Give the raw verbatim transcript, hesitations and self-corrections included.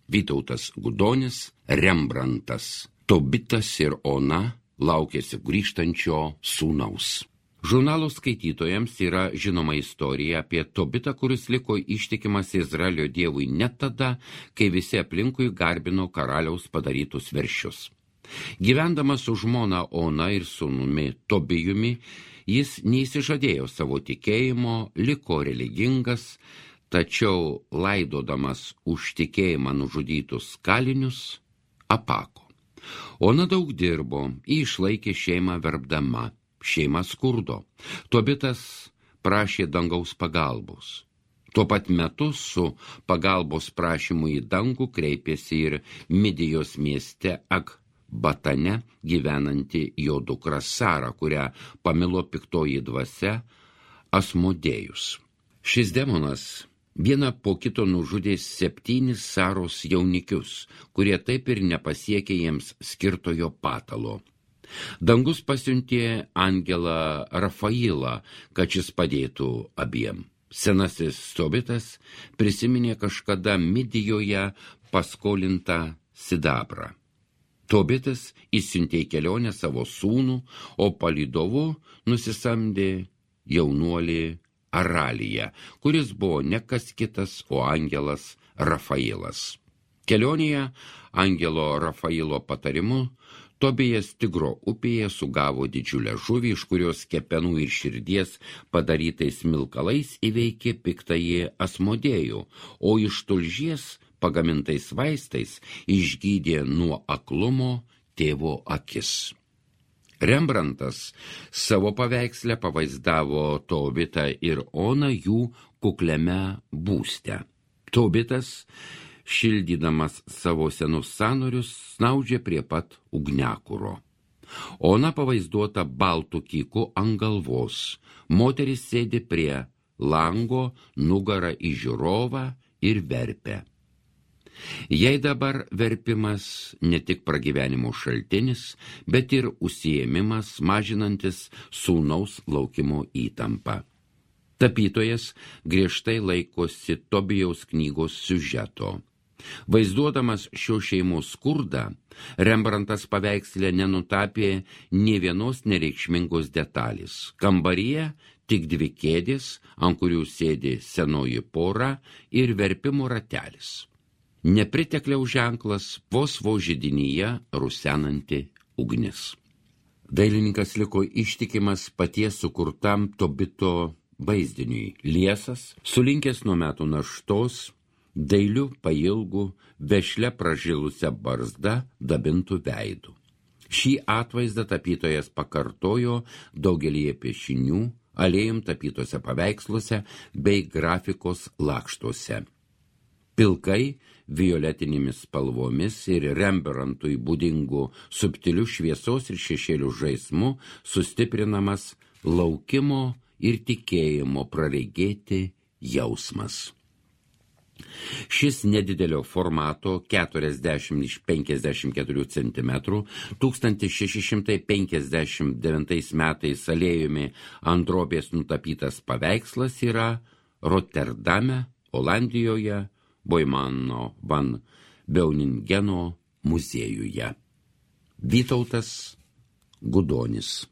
Vytautas Gudonis, Rembrantas. Tobitas ir Ona laukėsi grįžtančio sūnaus. Žurnalo skaitytojams yra žinoma istorija apie Tobitą, kuris liko ištikimas Izraelio dievui net tada, kai visi aplinkui garbino karaliaus padarytus veršius. Gyvendamas su žmona Ona ir sūnumi Tobijumi, jis neįsižadėjo savo tikėjimo, liko religingas, tačiau laidodamas už tikėjimą nužudytus kalinius, apako. Ona daug dirbo, išlaikė šeimą verbdama, šeima skurdo. Tobitas prašė dangaus pagalbos. Tuo pat metu su pagalbos prašymu į dangų kreipėsi ir Midijos mieste Akbatane gyvenanti jo dukra Sara, kurią pamilo piktoji dvasia Asmodėjus. Šis demonas vieną po kito nužudė septynis Saros jaunikius, kurie taip ir nepasiekė jiems skirtojo patalo. Dangus pasiuntė angelą Rafailą, kad šis padėtų abiem. Senasis Tobitas prisiminė kažkada Midijoje paskolintą sidabrą. Tobitas išsiuntė į kelionę savo sūnų, o palydovu nusisamdė jaunuolį Araliją, kuris buvo ne kas kitas, o angelas Rafailas. Kelionėje angelo Rafailo patarimu Tobijas Tigro upėje sugavo didžiulę žuvį, iš kurios kepenų ir širdies padarytais smilkalais įveikė piktąjį Asmodėjų, o iš tulžies pagamintais vaistais išgydė nuo aklumo tėvo akis. Rembrantas savo paveiksle pavaizdavo Tobitą ir Oną jų kukliame būste. Tobitas, šildydamas savo senus sąnarius, snaudžia prie pat ugniakuro. Ona pavaizduota baltų kyku ant galvos. Moteris sėdi prie lango, nugara į žiūrovą ir verpia. Jei dabar verpimas ne tik pragyvenimo šaltinis, bet ir užsiėmimas mažinantis sūnaus laukimo įtampą. Tapytojas griežtai laikosi Tobijaus knygos siužeto. Vaizduodamas šio šeimos skurdą, Rembrantas paveiksle nenutapė nė vienos nereikšmingos detalės. Kambaryje tik dvi kėdės, ant kurių sėdi senoji pora ir verpimo ratelis. Nepritekliaus ženklas vos vos židinyje rusenanti ugnis. Dailininkas liko ištikimas paties sukurtam Tobito vaizdiniui. Liesas, sulinkęs nuo metų naštos, dailiu pailgu, vešle pražilusią barzdą dabintų veidų. Šį atvaizdą tapytojas pakartojo daugelyje piešinių, alėjum tapytose paveiksluose bei grafikos lakštuose. Pilkai, violetinėmis spalvomis ir Rembrandtui būdingų subtilių šviesos ir šešėlių žaismu sustiprinamas laukimo ir tikėjimo praregėti jausmas. Šis nedidelio formato keturiasdešimt iš penkiasdešimt keturių centimetrų tūkstantis šeši šimtai penkiasdešimt devintais metais alėjumi ant drobės nutapytas paveikslas yra Rotterdame, Olandijoje, Boimano van Beuningeno muziejuje. Vytautas Gudonis.